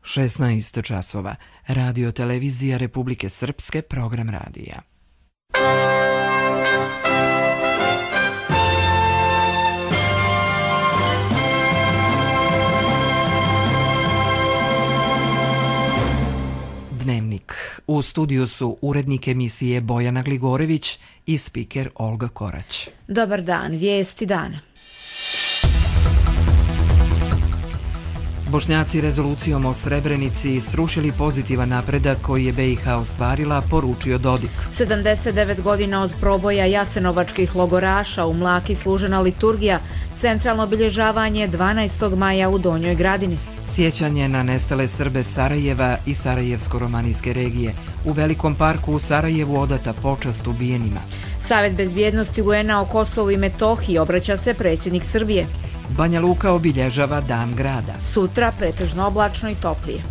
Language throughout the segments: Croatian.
16 časova. Radio Televizija Republike Srpske, program radija. Dnevnik. U studiju su urednik emisije Bojana Gligorević i spiker Olga Korać. Dobar dan, vijesti dana. Bošnjaci rezolucijom o Srebrenici srušili pozitivan napredak koji je BiH ostvarila, poručio Dodik. 79 godina od proboja jasenovačkih logoraša, u Mlaki služena liturgija, centralno obilježavanje 12. maja u Donjoj Gradini. Sjećanje na nestale Srbe Sarajeva i Sarajevsko-romanijske regije. U Velikom parku u Sarajevu odata počast ubijenima. Savjet bezbjednosti UN-a o Kosovu i Metohiji obraća se predsjednik Srbije. Banja Luka obilježava Dan grada. Sutra pretežno oblačno i toplije.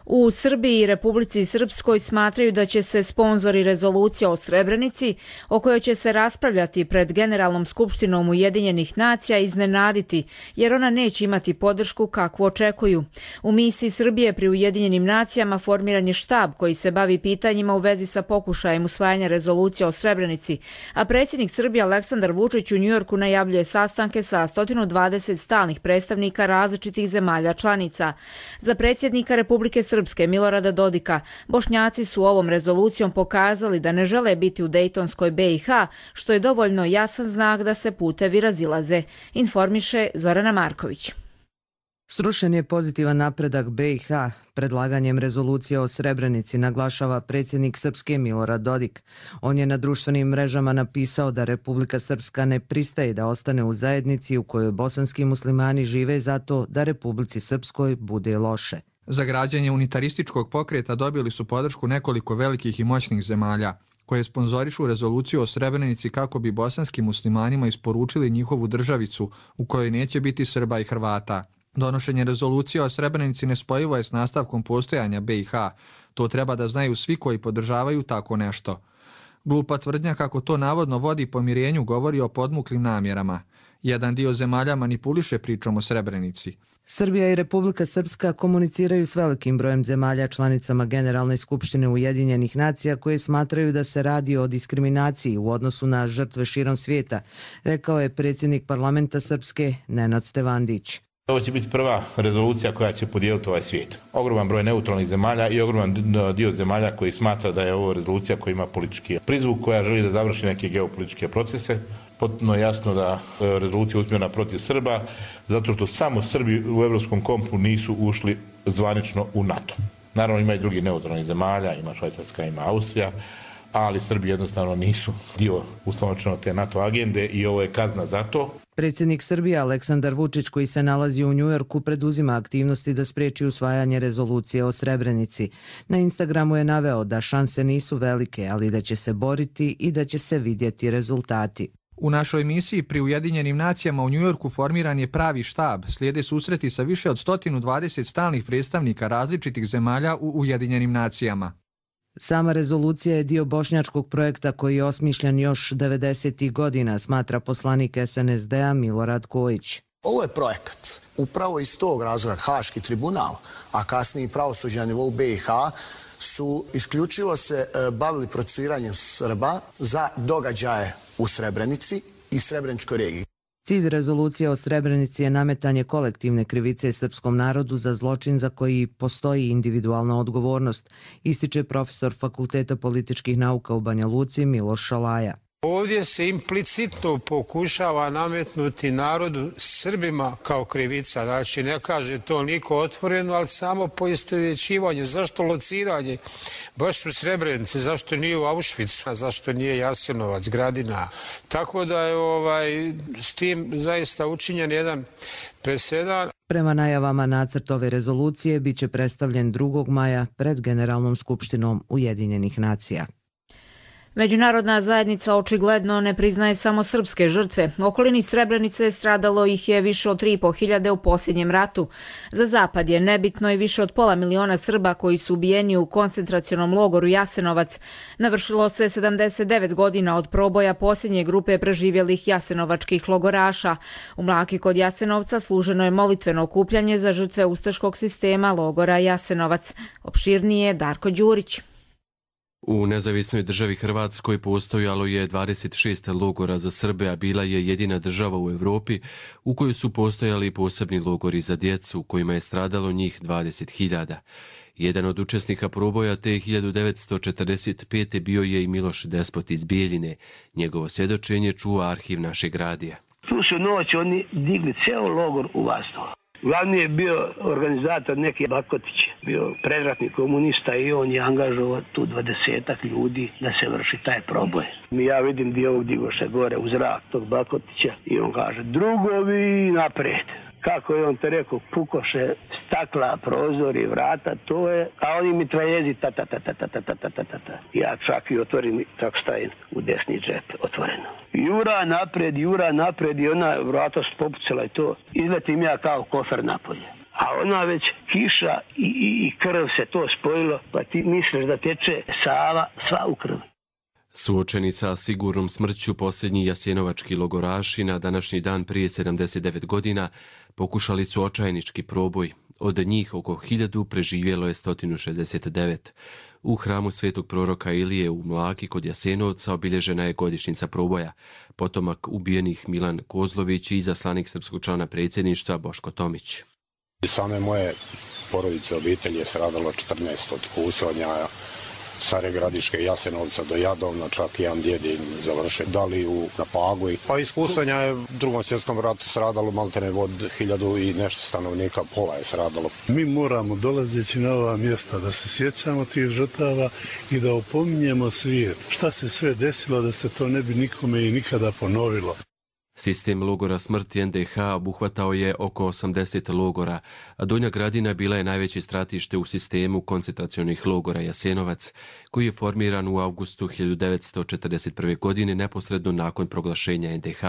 U Srbiji i Republici Srpskoj smatraju da će se sponzori rezolucije o Srebrenici, o kojoj će se raspravljati pred Generalnom skupštinom Ujedinjenih nacija, iznenaditi, jer ona neće imati podršku kakvu očekuju. U misiji Srbije pri Ujedinjenim nacijama formiran je štab koji se bavi pitanjima u vezi sa pokušajem usvajanja rezolucije o Srebrenici, a predsjednik Srbije Aleksandar Vučić u Njujorku najavljuje sastanke sa 120 stalnih predstavnika različitih zemalja članica. Za predsjednika Republike Srpske Milorada Dodika, Bošnjaci su ovom rezolucijom pokazali da ne žele biti u Dejtonskoj BiH, što je dovoljno jasan znak da se putevi razilaze, informiše Zorana Marković. Srušen je pozitivan napredak BiH. Predlaganjem rezolucije o Srebrenici naglašava predsjednik Srpske Milorad Dodik. On je na društvenim mrežama napisao da Republika Srpska ne pristaje da ostane u zajednici u kojoj bosanski muslimani žive zato da Republici Srpskoj bude loše. Za građenje unitarističkog pokreta dobili su podršku nekoliko velikih i moćnih zemalja, koje sponzorišu rezoluciju o Srebrenici kako bi bosanskim muslimanima isporučili njihovu državicu u kojoj neće biti Srba i Hrvata. Donošenje rezolucije o Srebrenici nespojivo je s nastavkom postojanja BiH. To treba da znaju svi koji podržavaju tako nešto. Glupa tvrdnja kako to navodno vodi pomirenju govori o podmuklim namjerama. Jedan dio zemalja manipuliše pričom o Srebrenici. Srbija i Republika Srpska komuniciraju s velikim brojem zemalja članicama Generalne skupštine Ujedinjenih nacija koje smatraju da se radi o diskriminaciji u odnosu na žrtve širom svijeta, rekao je predsjednik parlamenta Srpske Nenad Stevandić. Ovo će biti prva rezolucija koja će podijeliti ovaj svijet. Ogroman broj neutralnih zemalja i ogroman dio zemalja koji smatra da je ovo rezolucija koja ima politički prizvuk, koja želi da završi neke geopolitičke procese. Potpuno je jasno da rezolucija usmjerena protiv Srba, zato što samo Srbi u Evropskom kompu nisu ušli zvanično u NATO. Naravno ima i drugih neutralnih zemalja, ima Švajcarska, ima Austrija, ali Srbi jednostavno nisu dio ustavno te NATO agende i ovo je kazna za to. Predsjednik Srbije Aleksandar Vučić, koji se nalazi u Njujorku, preduzima aktivnosti da spriječi usvajanje rezolucije o Srebrenici. Na Instagramu je naveo da šanse nisu velike, ali da će se boriti i da će se vidjeti rezultati. U našoj misiji pri Ujedinjenim nacijama u Njujorku formiran je pravi štab. Slijede susreti sa više od 120 stalnih predstavnika različitih zemalja u Ujedinjenim nacijama. Sama rezolucija je dio bošnjačkog projekta koji je osmišljen još 90. godina, smatra poslanik SNSD-a Milorad Kojić. Ovo je projekat. Upravo iz tog razloga Haški tribunal, a kasnije pravosuđe na nivou BiH, su isključivo se bavili procesuiranjem Srba za događaje u Srebrenici i Srebreničkoj regiji. Cilj rezolucije o Srebrenici je nametanje kolektivne krivice srpskom narodu za zločin za koji postoji individualna odgovornost, ističe profesor Fakulteta političkih nauka u Banja Luci Miloš Šalaja. Ovdje se implicitno pokušava nametnuti narodu Srbima kao krivica. Znači, ne kaže to niko otvoreno, ali samo poistovjećivanje. Zašto lociranje? Baš u Srebrenici, zašto nije u Auschwitzu, zašto nije Jasenovac, Gradina. Tako da je s tim zaista učinjen jedan presedan. Prema najavama nacrt ove rezolucije biće predstavljen 2. maja pred Generalnom skupštinom Ujedinjenih nacija. Međunarodna zajednica očigledno ne priznaje samo srpske žrtve. U okolini Srebrenice stradalo ih je više od 3.500 u posljednjem ratu. Za Zapad je nebitno i više od 500.000 Srba koji su ubijeni u koncentracionom logoru Jasenovac. Navršilo se 79 godina od proboja posljednje grupe preživjelih jasenovačkih logoraša. U Mlaki kod Jasenovca služeno je molitveno okupljanje za žrtve ustaškog sistema logora Jasenovac. Opširnije Darko Đurić. U nezavisnoj državi Hrvatskoj postojalo je 26 logora za Srbe, a bila je jedina država u Europi u kojoj su postojali posebni logori za djecu, u kojima je stradalo njih 20.000. Jedan od učesnika proboja te 1945. bio je i Miloš Despot iz Bijeljine. Njegovo svjedočenje čuva arhiv našeg radija. Tu su noć oni digli ceo logor u vazduh. Glavni je bio organizator neki Bakotić, bio predratni komunista i on je angažovao tu 20 ljudi da se vrši taj proboj. Ja vidim dio ovog digoše gore u zrak tog Bakotića i on kaže drugovi napred. Kako je on to rekao, pukoše stakla, prozori, vrata, to je, a oni mitraljezi ta. Ja čak i otvorim, tako stavim u desni džep otvoreno. Jura napred i ona vrata popucala i to. Izletim ja kao kofer napolje. A ona već kiša i krv se to spojilo, pa ti misliš da teče Sava sva u krvi. Suočeni sa sigurnom smrću, posljednji jasenovački logoraši na današnji dan prije 79 godina pokušali su očajnički proboj. Od njih oko 1000 preživjelo je 169. U hramu svetog proroka Ilije u Mlaki kod Jasenovca obilježena je godišnjica proboja. Potomak ubijenih Milan Kozlović i izaslanik srpskog člana predsjedništva Boško Tomić. Same moje porodice, obitelji je stradalo 14 od kusonja. Stare Gradiške, Jasenovca do Jadovna, čak jedan djed završen dali na Pagu. Pa iz kusonja je u Drugom svjetskom ratu stradalo maltene od 1000 i nešto stanovnika, pola je stradalo. Mi moramo dolazeći na ova mjesta da se sjećamo tih žrtava i da opominjemo svijet. Šta se sve desilo da se to ne bi nikome i nikada ponovilo. Sistem logora smrti NDH obuhvatao je oko 80 logora, a Donja Gradina bila je najveće stratište u sistemu koncentracionih logora Jasenovac, koji je formiran u avgustu 1941. godine neposredno nakon proglašenja NDH.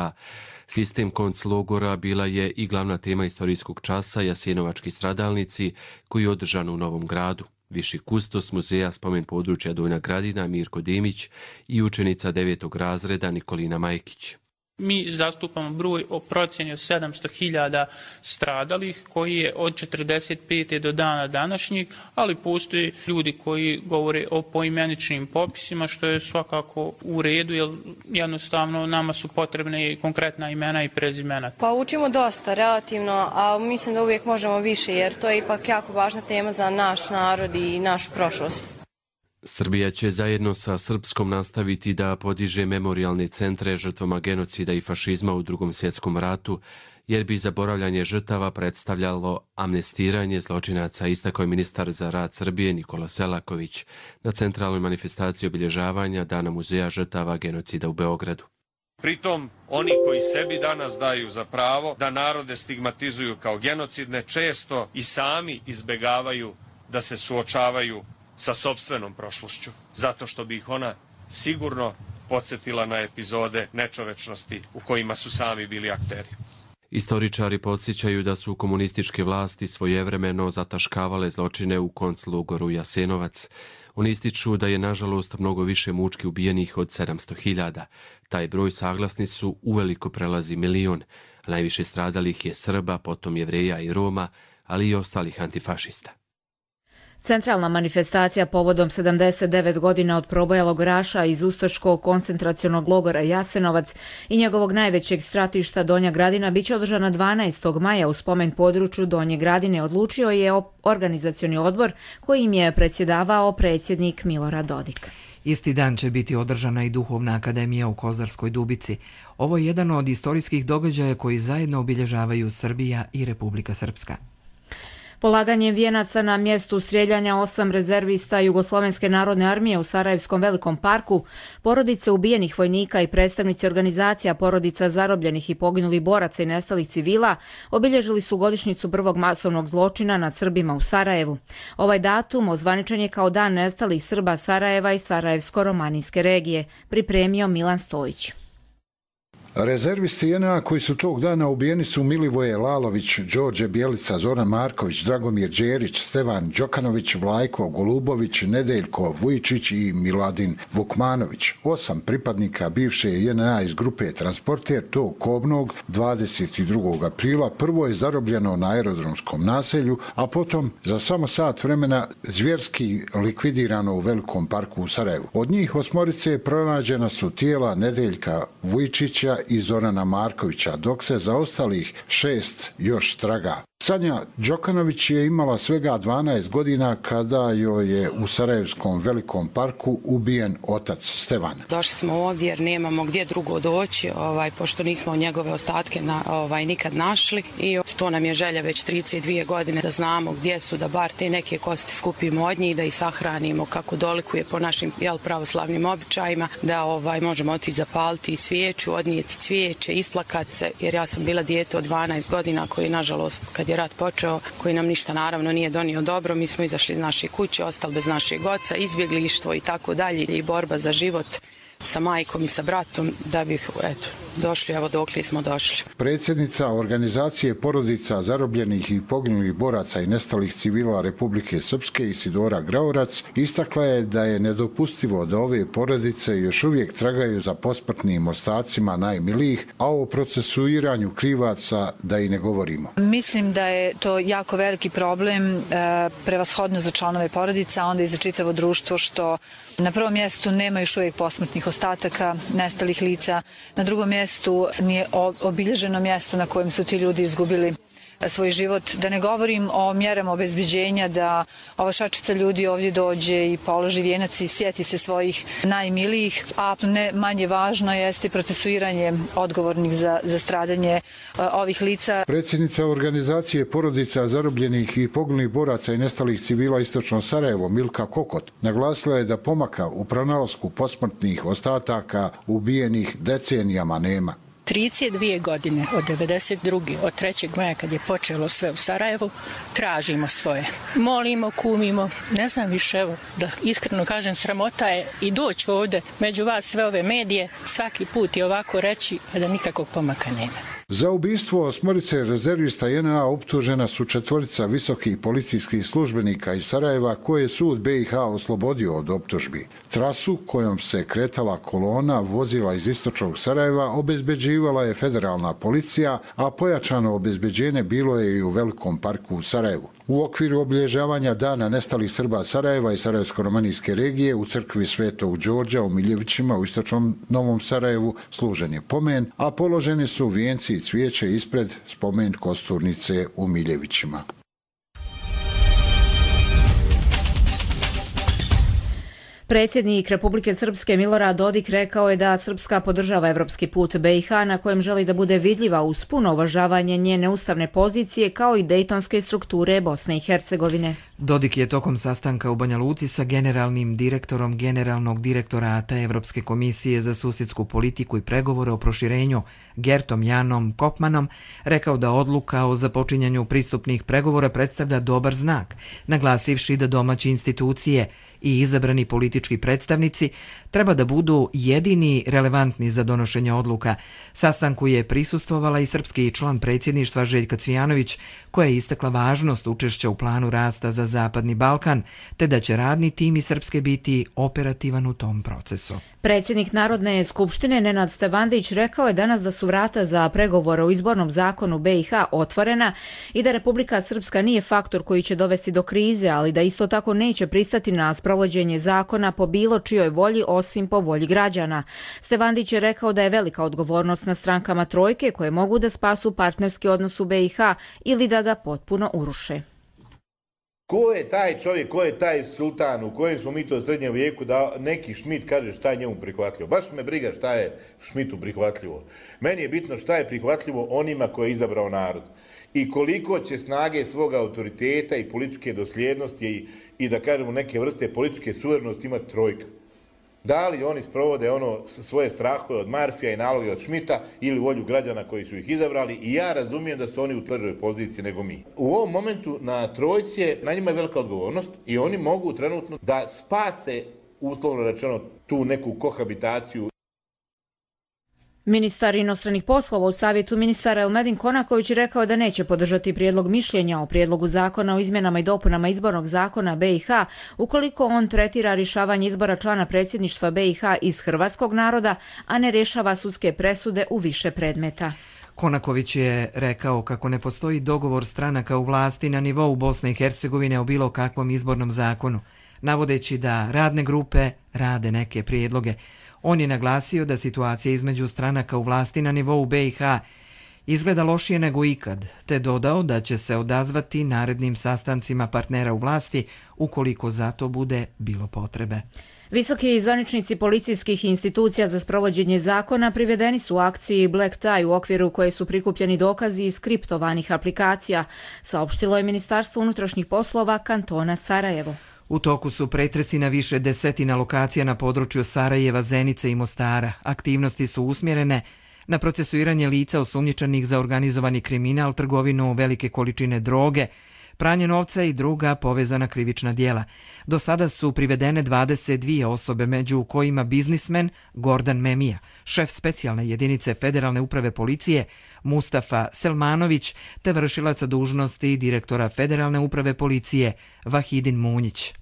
Sistem konclogora bila je i glavna tema istorijskog časa Jasenovački stradalnici, koji je održan u Novom Gradu. Viši kustos muzeja spomen područja Donja Gradina Mirko Demić i učenica 9. razreda Nikolina Majkić. Mi zastupamo broj o procjeni od 700.000 stradalih koji je od 45. do dana današnjeg, ali postoje ljudi koji govore o poimeničnim popisima, što je svakako u redu, jer jednostavno nama su potrebne konkretna imena i prezimena. Pa učimo dosta relativno, a mislim da uvijek možemo više, jer to je ipak jako važna tema za naš narod i našu prošlost. Srbija će zajedno sa Srpskom nastaviti da podiže memorijalne centre žrtvama genocida i fašizma u Drugom svjetskom ratu, jer bi zaboravljanje žrtava predstavljalo amnestiranje zločinaca, istakao je ministar za rad Srbije Nikola Selaković na centralnoj manifestaciji obilježavanja Dana muzeja žrtava genocida u Beogradu. Pritom, oni koji sebi danas daju za pravo da narode stigmatizuju kao genocidne, često i sami izbegavaju da se suočavaju sa sopstvenom prošlošću, zato što bi ih ona sigurno podsjetila na epizode nečovečnosti u kojima su sami bili akteri. Istoričari podsjećaju da su komunističke vlasti svojevremeno zataškavale zločine u konclogoru Jasenovac. Oni ističu da je nažalost mnogo više mučki ubijenih od 700.000. Taj broj, saglasni su, uveliko prelazi 1 milion. Najviše stradalih je Srba, potom Jevreja i Roma, ali i ostalih antifašista. Centralna manifestacija povodom 79 godina od proboja logoraša iz ustaškog koncentracionog logora Jasenovac i njegovog najvećeg stratišta Donja Gradina biće održana 12. maja u spomen području Donje Gradine, odlučio je organizacioni odbor kojim je predsjedavao predsjednik Milorad Dodik. Isti dan će biti održana i Duhovna akademija u Kozarskoj Dubici. Ovo je jedan od istorijskih događaja koji zajedno obilježavaju Srbija i Republika Srpska. Polaganjem vijenaca na mjestu strijeljanja 8 rezervista Jugoslovenske narodne armije u Sarajevskom Velikom parku, porodice ubijenih vojnika i predstavnici organizacija porodica zarobljenih i poginulih boraca i nestalih civila obilježili su godišnjicu prvog masovnog zločina nad Srbima u Sarajevu. Ovaj datum ozvaničen je kao Dan nestalih Srba Sarajeva i Sarajevsko-romanijske regije, pripremio Milan Stojić. Rezervisti JNA koji su tog dana ubijeni su Milivoje Lalović, Đorđe Bjelica, Zoran Marković, Dragomir Đerić, Stevan Đokanović, Vlajko Golubović, Nedeljko Vujčić i Miladin Vukmanović. 8 pripadnika bivše JNA iz grupe Transporter tog kobnog 22. aprila prvo je zarobljeno na aerodromskom naselju, a potom za samo sat vremena zvjerski likvidirano u Velikom parku u Sarajevu. Od njih 8 pronađena su tijela Nedeljka Vujčića i Zorana Markovića, dok se za ostalih 6 još traga. Sanja Đokanović je imala svega 12 godina kada joj je u Sarajevskom Velikom parku ubijen otac Stevan. Došli smo ovdje jer nemamo gdje drugo doći, pošto nismo njegove ostatke nikad našli i to nam je želja već 32 godine da znamo gdje su, da bar te neke kosti skupimo od njih, da ih sahranimo kako dolikuje po našim pravoslavnim običajima, da možemo otići zapaliti svijeću, odnijeti cvijeće, isplakati se, jer ja sam bila dijete od 12 godina koji nažalost kad je rat počeo, koji nam ništa naravno nije donio dobro, mi smo izašli iz naše kuće, ostali bez našeg oca, izbjeglištvo i tako dalje i borba za život sa majkom i sa bratom da bih došli, evo dokle smo došli. Predsjednica organizacije porodica zarobljenih i poginulih boraca i nestalih civila Republike Srpske Isidora Graorac istakla je da je nedopustivo da ove porodice još uvijek tragaju za posmrtnim ostacima najmilijih, a o procesuiranju krivaca da i ne govorimo. Mislim da je to jako veliki problem, prevashodno za članove porodica, a onda i za čitavo društvo, što na prvom mjestu nema još uvijek posmrtnih ostataka nestalih lica, na drugom mjestu nije obilježeno mjesto na kojem su ti ljudi izgubili svoj život. Da ne govorim o mjerama obezbeđenja da ova šačica ljudi ovdje dođe i položi vijenac i sjeti se svojih najmilijih, a ne manje važno jeste procesuiranje odgovornih za stradanje ovih lica. Predsjednica organizacije porodica zarobljenih i poginulih boraca i nestalih civila Istočno Sarajevo Milka Kokot naglasila je da pomaka u pronalasku posmrtnih ostataka ubijenih decenijama nema. 32 godine od 92. od 3. maja kad je počelo sve u Sarajevu, tražimo svoje. Molimo, kumimo, ne znam više, evo, da iskreno kažem, sramota je i doći ovdje među vas sve ove medije, svaki put i ovako reći, a da nikakvog pomaka nema. Za ubistvo 8 rezervista JNA optužena su 4 visokih policijskih službenika iz Sarajeva koje je sud BiH oslobodio od optužbi. Trasu kojom se kretala kolona vozila iz istočnog Sarajeva obezbeđivala je federalna policija, a pojačano obezbeđenje bilo je i u Velikom parku u Sarajevu. U okviru obilježavanja Dana nestalih Srba Sarajeva i Sarajevsko-romanijske regije u crkvi Svetog Đorđa u Miljevićima u istočnom Novom Sarajevu služen je pomen, a položeni su vijenci i cvijeće ispred spomen kosturnice u Miljevićima. Predsjednik Republike Srpske Milorad Dodik rekao je da Srpska podržava evropski put BiH na kojem želi da bude vidljiva uz puno uvažavanje njene ustavne pozicije kao i dejtonske strukture Bosne i Hercegovine. Dodik je tokom sastanka u Banja Luci sa generalnim direktorom Generalnog direktorata Evropske komisije za susjedsku politiku i pregovore o proširenju Gertom Janom Kopmanom rekao da odluka o započinjanju pristupnih pregovora predstavlja dobar znak, naglasivši da domaće institucije i izabrani politički predstavnici treba da budu jedini relevantni za donošenje odluka. Sastanku je prisustvovala i srpski član predsjedništva Željka Cvijanović, koja je istakla važnost učešća u planu rasta za Zapadni Balkan, te da će radni tim iz Srpske biti operativan u tom procesu. Predsjednik Narodne skupštine Nenad Stevandić rekao je danas da su vrata za pregovore o izbornom zakonu BiH otvorena i da Republika Srpska nije faktor koji će dovesti do krize, ali da isto tako neće pristati na sprovođenje zakona po bilo čijoj volji osim po volji građana. Stevandić je rekao da je velika odgovornost na strankama trojke koje mogu da spasu partnerski odnos u BiH ili da ga potpuno uruše. Ko je taj čovjek, ko je taj sultan, u kojem smo mi to u srednjem vijeku da neki Šmit kaže šta je njemu prihvatljivo. Baš me briga šta je Šmitu prihvatljivo. Meni je bitno šta je prihvatljivo onima koje je izabrao narod. i koliko će snage svoga autoriteta i političke dosljednosti i da kažemo neke vrste političke suverenosti imati trojka. Da li oni sprovode svoje strahove od Marfija i naloge od Šmita ili volju građana koji su ih izabrali, i ja razumijem da su oni u težoj poziciji nego mi. U ovom momentu na trojci je, na njima je velika odgovornost i oni mogu trenutno da spase, uslovno rečeno, tu neku kohabitaciju. Ministar inostranih poslova u savjetu ministara Elmedin Konaković rekao da neće podržati prijedlog mišljenja o prijedlogu zakona o izmjenama i dopunama izbornog zakona BiH ukoliko on tretira rješavanje izbora člana predsjedništva BiH iz hrvatskog naroda, a ne rješava sudske presude u više predmeta. Konaković je rekao kako ne postoji dogovor stranaka u vlasti na nivou Bosne i Hercegovine o bilo kakvom izbornom zakonu, navodeći da radne grupe rade neke prijedloge. On je naglasio da situacija između stranaka u vlasti na nivou BiH izgleda lošije nego ikad, te dodao da će se odazvati narednim sastancima partnera u vlasti ukoliko za to bude bilo potrebe. Visoki zvaničnici policijskih institucija za sprovođenje zakona privedeni su u akciji Black Tie u okviru koje su prikupljeni dokazi iz kriptovanih aplikacija, saopštilo je Ministarstvo unutrašnjih poslova kantona Sarajevo. U toku su pretresi na više desetina lokacija na području Sarajeva, Zenice i Mostara. Aktivnosti su usmjerene na procesuiranje lica osumnjičenih za organizovani kriminal, trgovinu velike količine droge, pranje novca i druga povezana krivična djela. Do sada su privedene 22 osobe, među kojima biznismen Gordan Memija, šef specijalne jedinice Federalne uprave policije Mustafa Selmanović, te vršilaca dužnosti direktora Federalne uprave policije Vahidin Munjić.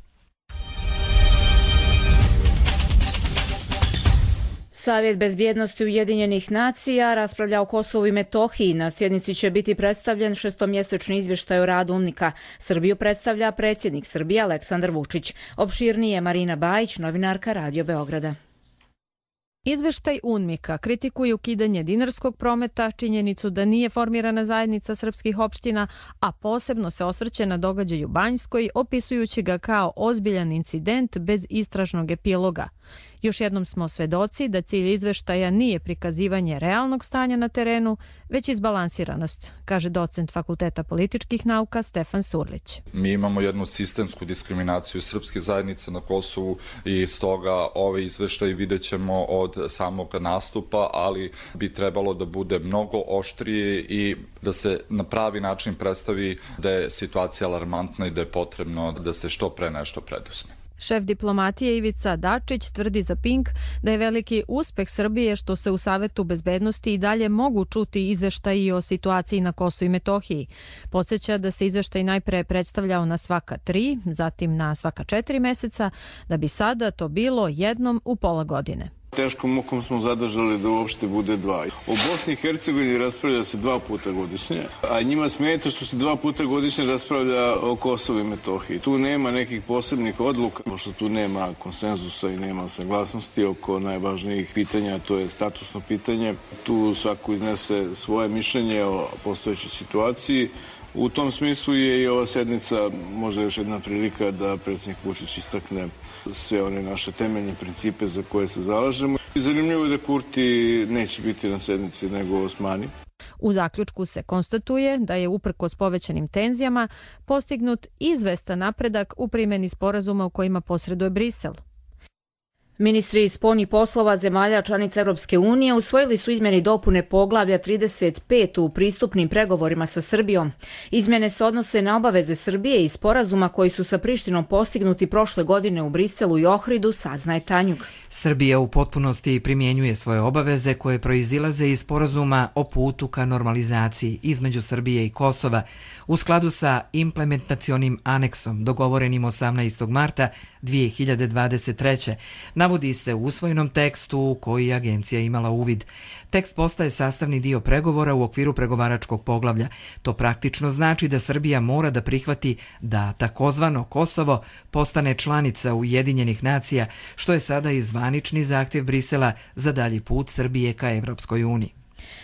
Savjet bezbjednosti Ujedinjenih nacija raspravlja o Kosovu i Metohiji. Na sjednici će biti predstavljen šestomjesečni izvještaj o radu UNMIK-a. Srbiju predstavlja predsjednik Srbije Aleksandar Vučić. Opširnije Marina Bajić, novinarka Radio Beograda. Izveštaj UNMIK-a kritikuje ukidanje dinarskog prometa, činjenicu da nije formirana zajednica srpskih opština, a posebno se osvrće na događaj u Banjskoj, opisujući ga kao ozbiljan incident bez istražnog epiloga. Još jednom smo svedoci da cilj izveštaja nije prikazivanje realnog stanja na terenu, već izbalansiranost, kaže docent Fakulteta političkih nauka Stefan Surlić. Mi imamo jednu sistemsku diskriminaciju srpske zajednice na Kosovu i stoga ove izveštaje vidjet ćemo od samog nastupa, ali bi trebalo da bude mnogo oštrije i da se na pravi način predstavi da je situacija alarmantna i da je potrebno da se što pre nešto preduzme. Šef diplomatije Ivica Dačić tvrdi za Pink da je veliki uspeh Srbije što se u Savetu bezbednosti i dalje mogu čuti izveštaji o situaciji na Kosovu i Metohiji. Podsjeća da se izveštaj najpre predstavljao na svaka 3, zatim na svaka 4 meseca, da bi sada to bilo jednom u pola godine. Teškom mukom smo zadržali da uopšte bude 2. O Bosni i Hercegovini raspravlja se 2 puta godišnje, a njima smeta što se 2 puta godišnje raspravlja o Kosovu i Metohiji. Tu nema nekih posebnih odluka, pošto tu nema konsenzusa i nema saglasnosti oko najvažnijih pitanja, to je statusno pitanje. Tu svako iznese svoje mišljenje o postojećoj situaciji. U tom smislu je i ova sednica možda još jedna prilika da predsjednik Vučić istakne sve one naše temeljne principe za koje se zalažemo. Zanimljivo je da Kurti neće biti na sednici nego Osmani. U zaključku se konstatuje da je uprkos povećanim tenzijama postignut izvestan napredak u primjeni sporazuma u kojima posreduje Brisel. Ministri spoljnih poslova zemalja članica Europske unije usvojili su izmjene i dopune poglavlja 35 u pristupnim pregovorima sa Srbijom. Izmjene se odnose na obaveze Srbije i sporazuma koji su sa Prištinom postignuti prošle godine u Briselu i Ohridu, saznaje Tanjug. Srbija u potpunosti primjenjuje svoje obaveze koje proizilaze iz sporazuma o putu ka normalizaciji između Srbije i Kosova u skladu sa implementacionim aneksom dogovorenim 18. marta 2023. Navodi se u usvojenom tekstu u koji je agencija imala uvid. Tekst postaje sastavni dio pregovora u okviru pregovaračkog poglavlja. To praktično znači da Srbija mora da prihvati da takozvano Kosovo postane članica Ujedinjenih nacija, što je sada i zvanični zahtjev Brisela za dalji put Srbije ka Evropskoj uniji.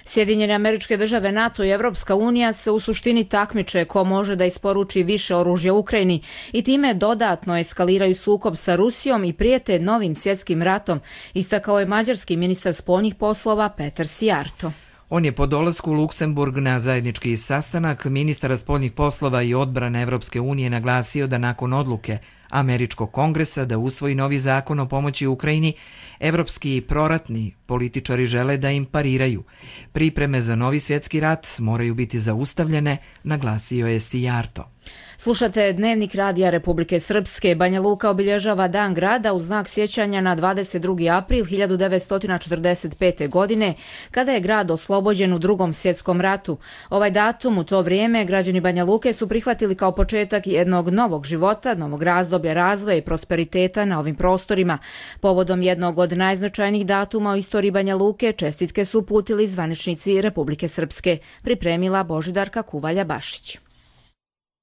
Sjedinjene Američke Države, NATO i Evropska unija se u suštini takmiče ko može da isporuči više oružja Ukrajini i time dodatno eskaliraju sukob sa Rusijom i prijete novim svjetskim ratom, istakao je mađarski ministar spoljnih poslova Petar Sijarto. On je po dolasku u Luksemburg na zajednički sastanak ministara spoljnih poslova i odbrane Evropske unije naglasio da nakon odluke Američkog kongresa da usvoji novi zakon o pomoći Ukrajini, evropski proratni političari žele da im pariraju. Pripreme za novi svjetski rat moraju biti zaustavljene, naglasio je Sijarto. Slušate Dnevnik radija Republike Srpske. Banja Luka obilježava Dan grada u znak sjećanja na 22. april 1945. godine, kada je grad oslobođen u Drugom svjetskom ratu. Ovaj datum u to vrijeme građani Banja Luke su prihvatili kao početak jednog novog života, novog razdoblja razvoja i prosperiteta na ovim prostorima. Povodom jednog od najznačajnijih datuma u istoriji Banja Luke čestitke su uputili zvaničnici Republike Srpske, pripremila Božidarka Kuvalja-Bašić.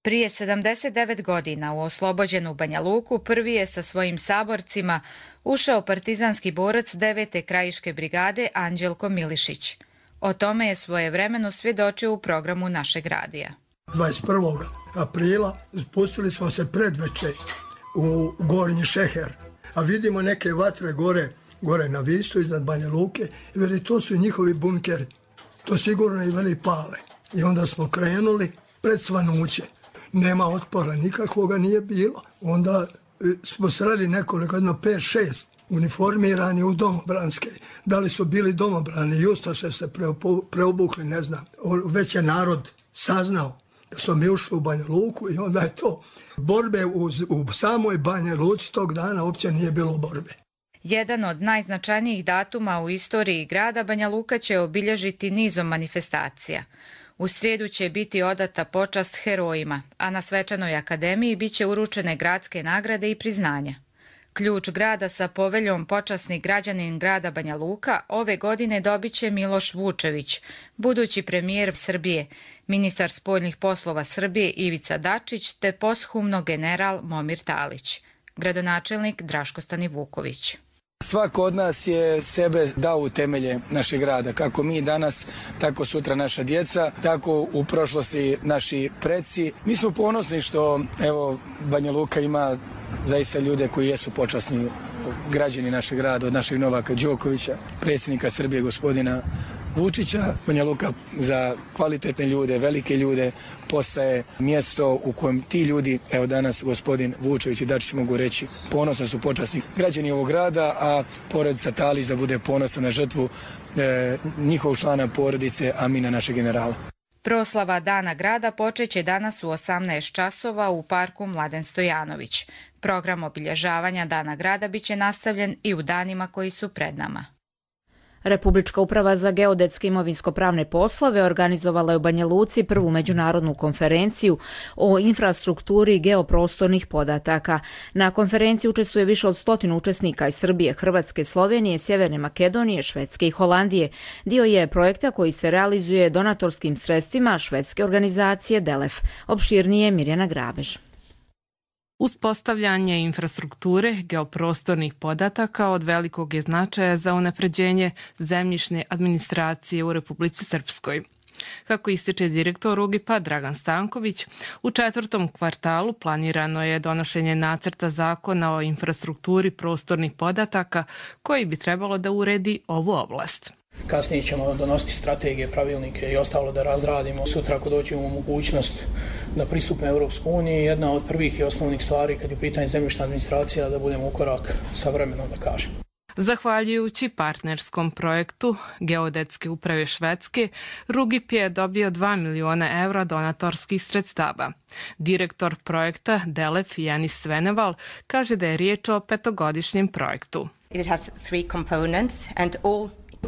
Prije 79 godina u oslobođenu Banja Luku prvi je sa svojim saborcima ušao partizanski borac 9. krajiške brigade Anđelko Milišić. O tome je svojevremeno svjedočio u programu našeg radija. 21. aprila spustili smo se predveče u Gornji Šeher, a vidimo neke vatre gore na Visu iznad Banja Luke i veli to su njihovi bunkeri. To sigurno i veli pale. I onda smo krenuli pred svanuće. Nema otpora, nikakvoga nije bilo. Onda smo sreli nekoliko, 5-6 uniformirani u domobranske. Da li su bili domobrani, Justaše se preobukli, ne znam. Već je narod saznao da smo mi ušli u Banja Luku i onda je to. Borbe u samoj Banja Luci tog dana uopće nije bilo borbe. Jedan od najznačajnijih datuma u istoriji grada Banja Luka će obilježiti nizom manifestacija. U srijedu će biti odata počast herojima, a na svečanoj akademiji bit će uručene gradske nagrade i priznanja. Ključ grada sa poveljom počasni građanin grada Banja Luka ove godine dobit će Miloš Vučević, budući premijer Srbije, ministar spoljnih poslova Srbije Ivica Dačić te posthumno general Momir Talić, gradonačelnik Draško Stanivuković. Svako od nas je sebe dao u temelje našeg grada, kako mi danas, tako sutra naša djeca, tako u prošlosti naši preci. Mi smo ponosni što Banja Luka ima zaista ljude koji jesu počasni građani našeg grada, od našeg Novaka Đokovića, predsjednika Srbije gospodina Vučića. Banja Luka za kvalitetne ljude, velike ljude postaje mjesto u kojem ti ljudi, danas gospodin Vučević i Dačić mogu reći, ponosno su počasni građani ovog grada, a porodica Talić da bude ponosna na žrtvu njihovog člana porodice, Amina, našeg generala. Proslava Dana grada počeće danas u 18 časova u parku Mladen Stojanović. Program obilježavanja Dana grada biće nastavljen i u danima koji su pred nama. Republička uprava za geodetske imovinsko-pravne poslove organizovala je u Banja Luci prvu međunarodnu konferenciju o infrastrukturi geoprostornih podataka. Na konferenciji učestvuje više od 100 učesnika iz Srbije, Hrvatske, Slovenije, Sjeverne Makedonije, Švedske i Holandije. Dio je projekta koji se realizuje donatorskim sredstvima švedske organizacije DELEF. Opširnije Mirjana Grabež. Uspostavljanje infrastrukture geoprostornih podataka od velikog je značaja za unapređenje zemljišne administracije u Republici Srpskoj. Kako ističe direktor UGIP-a Dragan Stanković, u 4. kvartalu planirano je donošenje nacrta zakona o infrastrukturi prostornih podataka koji bi trebalo da uredi ovu oblast. Kasnije ćemo donositi strategije, pravilnike i ostalo da razradimo. Sutra ako doćemo u mogućnost da pristupimo Europsku uniju, jedna od prvih i osnovnih stvari kad je u pitanju zemljišna administracija da budemo u korak sa vremenom, da kažem. Zahvaljujući partnerskom projektu Geodetske uprave Švedske, RUGIP je dobio 2 miliona evra donatorskih sredstava. Direktor projekta DELEF Janis Sveneval kaže da je riječ o 5-godišnjem projektu.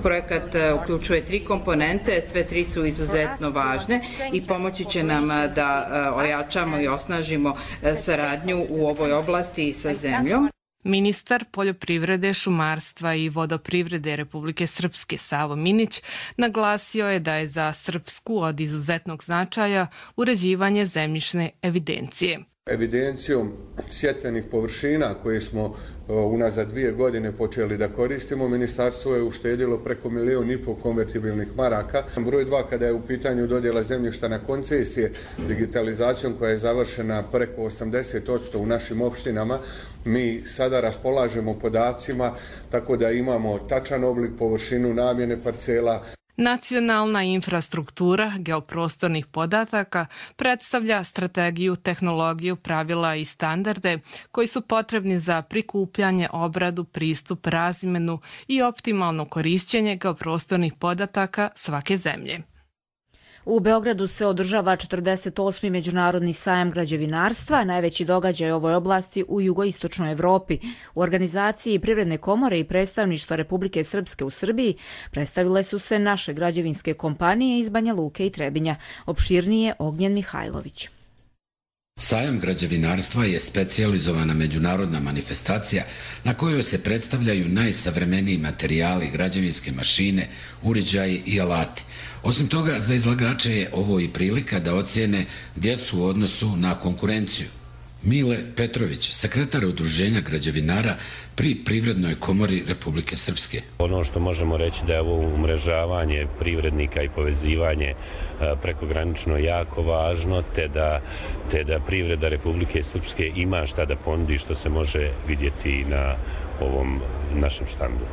Projekat uključuje 3 komponente, sve 3 su izuzetno važne i pomoći će nam da ojačamo i osnažimo saradnju u ovoj oblasti sa zemljom. Ministar poljoprivrede, šumarstva i vodoprivrede Republike Srpske Savo Minić naglasio je da je za Srpsku od izuzetnog značaja uređivanje zemljišne evidencije. Evidencijom sjetvenih površina koje smo unazad 2 godine počeli da koristimo, ministarstvo je uštedilo preko 1,5 milijuna konvertibilnih maraka. Broj 2, kada je u pitanju dodjela zemljišta na koncesije, digitalizacijom koja je završena preko 80% u našim opštinama, mi sada raspolažemo podacima tako da imamo tačan oblik, površinu, namjene parcela. Nacionalna infrastruktura geoprostornih podataka predstavlja strategiju, tehnologiju, pravila i standarde koji su potrebni za prikupljanje, obradu, pristup, razmenu i optimalno korišćenje geoprostornih podataka svake zemlje. U Beogradu se održava 48. Međunarodni sajam građevinarstva, najveći događaj u ovoj oblasti u jugoistočnoj Evropi. U organizaciji Privredne komore i predstavništva Republike Srpske u Srbiji predstavile su se naše građevinske kompanije iz Banja Luke i Trebinja. Opširnije Ognjen Mihajlović. Sajam građevinarstva je specijalizovana međunarodna manifestacija na kojoj se predstavljaju najsavremeniji materijali, građevinske mašine, uređaji i alati. Osim toga, za izlagače je ovo i prilika da ocijene gdje su u odnosu na konkurenciju. Mile Petrović, sekretar Udruženja građevinara pri Privrednoj komori Republike Srpske. Ono što možemo reći da je ovo umrežavanje privrednika i povezivanje prekogranično jako važno, te da privreda Republike Srpske ima šta da ponudi što se može vidjeti na ovom našem štandu.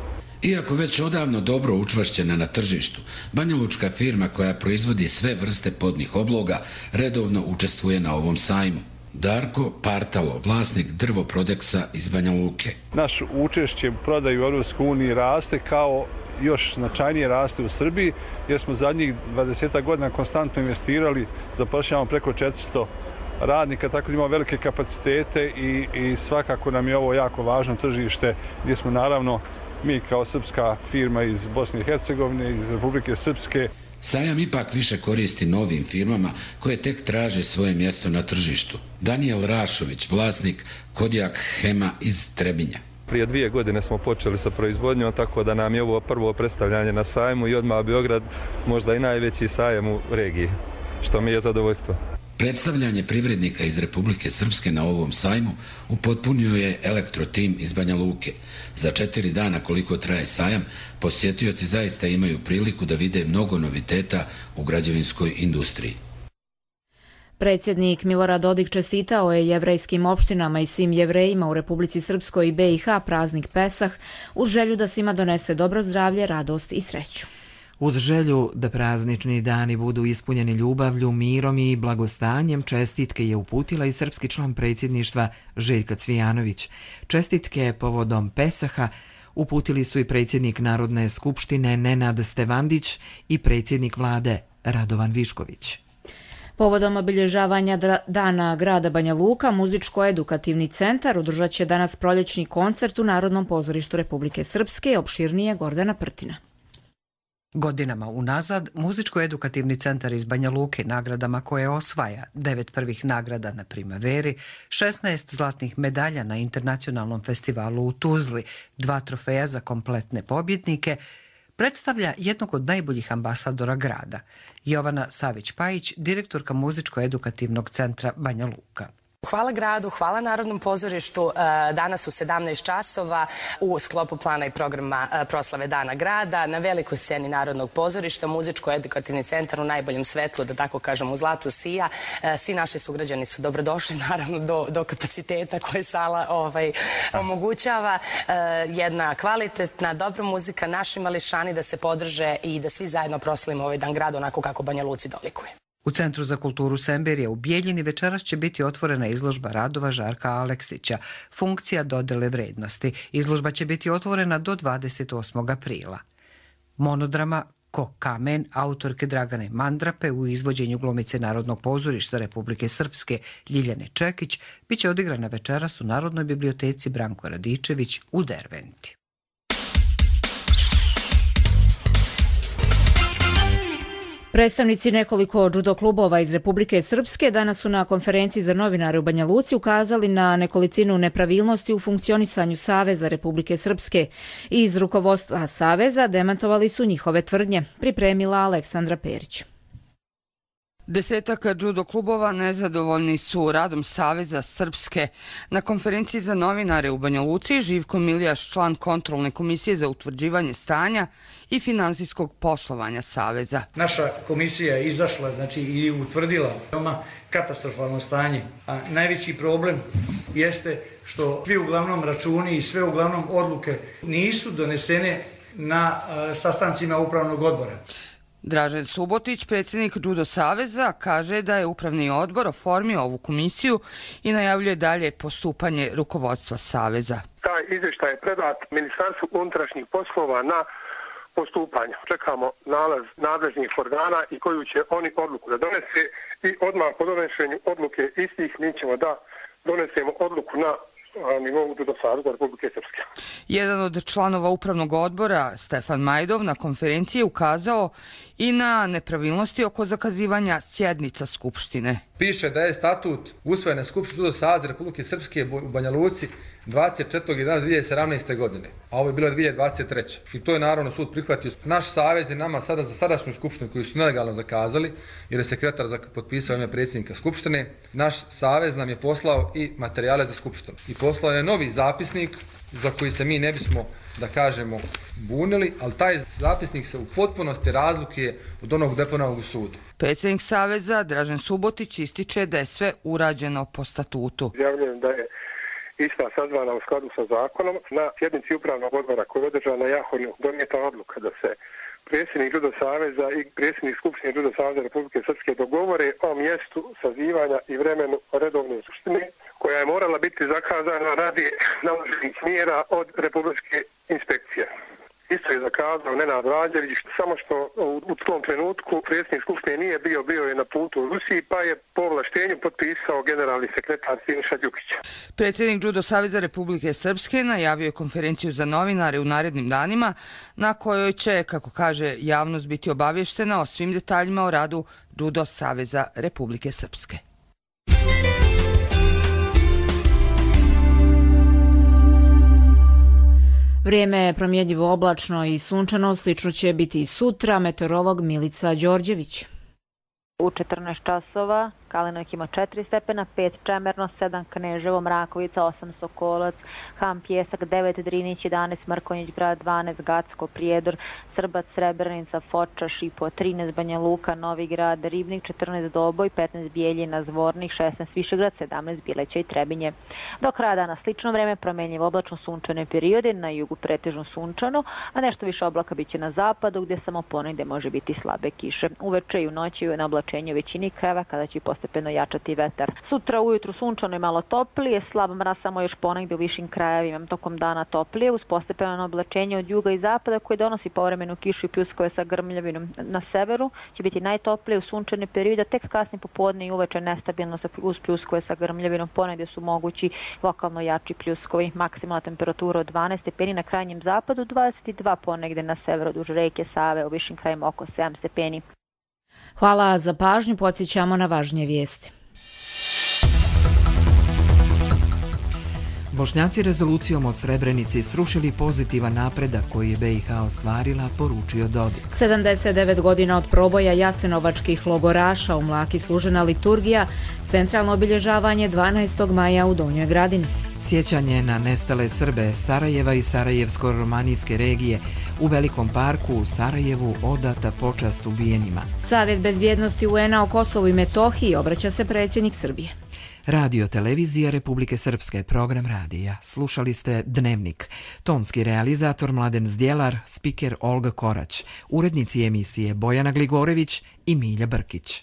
Iako već odavno dobro učvršćena na tržištu, banjalučka firma koja proizvodi sve vrste podnih obloga redovno učestvuje na ovom sajmu. Darko Partalo, vlasnik Drvoprodeksa iz Banja Luke. Naš učešće u prodaju u EU raste kao još značajnije raste u Srbiji, jer smo zadnjih 20 godina konstantno investirali, zapošljavamo preko 400 radnika, tako da imamo velike kapacitete i svakako nam je ovo jako važno tržište gdje smo naravno mi kao srpska firma iz Bosne i Hercegovine, iz Republike Srpske. Sajam ipak više koristi novim firmama koje tek traže svoje mjesto na tržištu. Daniel Rašović, vlasnik Kodjak Hema iz Trebinja. Prije 2 godine smo počeli sa proizvodnjom, tako da nam je ovo prvo predstavljanje na sajmu i odmah Beograd možda i najveći sajam u regiji, što mi je zadovoljstvo. Predstavljanje privrednika iz Republike Srpske na ovom sajmu upotpunio je elektrotim iz Banja Luke. Za 4 dana koliko traje sajam, posjetioci zaista imaju priliku da vide mnogo noviteta u građevinskoj industriji. Predsjednik Milorad Dodik čestitao je jevrejskim opštinama i svim jevrejima u Republici Srpskoj i BiH praznik Pesah uz želju da svima donese dobro zdravlje, radost i sreću. Uz želju da praznični dani budu ispunjeni ljubavlju, mirom i blagostanjem, čestitke je uputila i srpski član predsjedništva Željka Cvijanović. Čestitke povodom Pesaha uputili su i predsjednik Narodne skupštine Nenad Stevandić i predsjednik vlade Radovan Višković. Povodom obilježavanja Dana grada Banja Luka, Muzičko-edukativni centar održat će danas proljećni koncert u Narodnom pozorištu Republike Srpske, opširnije Gordana Prtina. Godinama unazad, Muzičko-edukativni centar iz Banja Luke nagradama koje osvaja 9 prvih nagrada na Primaveri, 16 zlatnih medalja na internacionalnom festivalu u Tuzli, 2 trofeja za kompletne pobjednike, predstavlja jednog od najboljih ambasadora grada. Jovana Savić-Pajić, direktorka Muzičko-edukativnog centra Banja Luka. Hvala gradu, hvala Narodnom pozorištu. Danas u 17 časova u sklopu plana i programa proslave Dana grada na velikoj sceni Narodnog pozorišta Muzičko-edukativni centar u najboljem svetlu, da tako kažem, u zlatu sija. Svi naši sugrađani su dobrodošli, naravno do kapaciteta koje sala omogućava. Jedna kvalitetna, dobra muzika, naši mališani da se podrže i da svi zajedno proslavimo ovaj Dan grada onako kako Banja Luci dolikuje. U Centru za kulturu Semberija u Bijeljini večeras će biti otvorena izložba radova Žarka Aleksića, funkcija dodele vrednosti. Izložba će biti otvorena do 28. aprila. Monodrama Ko kamen autorke Dragane Mandrape u izvođenju glumice Narodnog pozorišta Republike Srpske Ljiljane Čekić biće odigrana večeras u Narodnoj biblioteci Branko Radičević u Derventi. Predstavnici nekoliko judo klubova iz Republike Srpske danas su na konferenciji za novinare u Banja Luci ukazali na nekolicinu nepravilnosti u funkcionisanju Saveza Republike Srpske i iz rukovodstva Saveza demantovali su njihove tvrdnje, pripremila Aleksandra Perić. 10 judo klubova nezadovoljni su radom Saveza Srpske. Na konferenciji za novinare u Banja Luci Živko Miljaš, član kontrolne komisije za utvrđivanje stanja i finansijskog poslovanja Saveza. Naša komisija je izašla i utvrdila veoma katastrofalno stanje. A najveći problem jeste što svi uglavnom računi i sve uglavnom odluke nisu donesene na sastancima upravnog odbora. Dražen Subotić, predsjednik Judo saveza, kaže da je upravni odbor oformio ovu komisiju i najavljuje dalje postupanje rukovodstva saveza. Taj izvještaj je predat Ministarstvu unutrašnjih poslova na postupanje. Čekamo nalaz nadležnih organa i koju će oni odluku da donese i odmah po donošenju odluke istih mi ćemo da donesemo odluku na nivou Judo saveza Republike Srpske. Jedan od članova upravnog odbora, Stefan Majdov, na konferenciji ukazao i na nepravilnosti oko zakazivanja sjednica Skupštine. Piše da je statut usvojen na Skupštini Judo saveza Republike Srpske u Banja Luci 24.11.2017. godine, a ovo je bilo 2023. I to je naravno sud prihvatio. Naš savez je nama sada za sadašnju Skupštinu koju su nelegalno zakazali, jer je sekretar potpisao ime predsjednika Skupštine, naš savez nam je poslao i materijale za Skupštinu. I poslao je novi zapisnik za koji se mi ne bismo, da kažemo, bunili, ali taj zapisnik se u potpunosti razlikuje od onog deponovanog u sudu. Predsjednik saveza Dražen Subotić ističe da je sve urađeno po statutu. Javljujem da je ista sazvana u skladu sa zakonom. Na sjednici upravnog odbora koja je održana na Jahorju donijeta odluka da se predsjednik Judo saveza i predsjednik Skupštine Judo saveza Republike Srpske dogovore o mjestu sazivanja i vremenu redovne skupštine koja je morala biti zakazana radi naloženih mjera od Republičke inspekcije. Isto je zakazao Nenad Vlađević, samo što u tom trenutku predsjednik Skupštine nije bio je na putu u Rusiji, pa je po ovlaštenju potpisao generalni sekretar Siniša Đukić. Predsjednik Judo saveza Republike Srpske najavio je konferenciju za novinare u narednim danima, na kojoj će, kako kaže, javnost biti obavještena o svim detaljima o radu Judo saveza Republike Srpske. Vrijeme je promjenjivo oblačno i sunčano, slično će biti i sutra, meteorolog Milica Đorđević. U 14 časova Kalinovik ima 4 stepena, 5 Čemerno, 7 Kneževo, Mrakovica, 8 Sokolac, Ham, Pjesak, 9 Drinić, 11 Mrkonjić Grad, 12 Gacko, Prijedor, Srbac, Srebrenica, Foča, Šipo, 13 Banja Luka, Novi Grad, Ribnik, 14 Doboj, 15 Bijeljina, Zvornik, 16 Višegrad, 17 Bileća i Trebinje. Do kraja dana slično vreme, promjenjivo oblačno sunčane periode, na jugu pretežno sunčano, a nešto više oblaka biće na zapadu gdje samo ponegdje može biti slabe kiše. Uveče i u noći na oblačenju većini krajeva kada će postepeno jačati vetar. Sutra ujutru sunčano i malo toplije, slab mraz samo još ponegdje u višim krajevima, tokom dana toplije uz postepeno oblačenje od juga i zapada koje donosi povremenu kišu i pljuskove sa grmljavinom. Na severu će biti najtoplije u sunčane periode, tek kasnije popodne i uveče nestabilno uz pljuskove sa grmljavinom, ponegdje su mogući lokalno jači pljuskovi. Maksimalna temperatura od 12 stepeni na krajnjem zapadu, 22 ponegdje na severu duž reke Save, u višim krajima oko 7 stepeni. Hvala za pažnju, podsjećamo na važnije vijesti. Bošnjaci rezolucijom o Srebrenici srušili pozitivan napredak koji je BiH ostvarila, poručio Dodik. 79 godina od proboja jasenovačkih logoraša u Mlaki služena liturgija, centralno obilježavanje 12. maja u Donjoj Gradini. Sjećanje na nestale Srbe Sarajeva i Sarajevsko-romanijske regije u Velikom parku u Sarajevu odata počast ubijenima. Savjet bezbjednosti UN-a o Kosovu i Metohiji obraća se predsjednik Srbije. Radio televizija Republike Srpske, program radija. Slušali ste Dnevnik. Tonski realizator Mladen Zdjelar, spiker Olga Korać, urednici emisije Bojana Gligorević i Milja Brkić.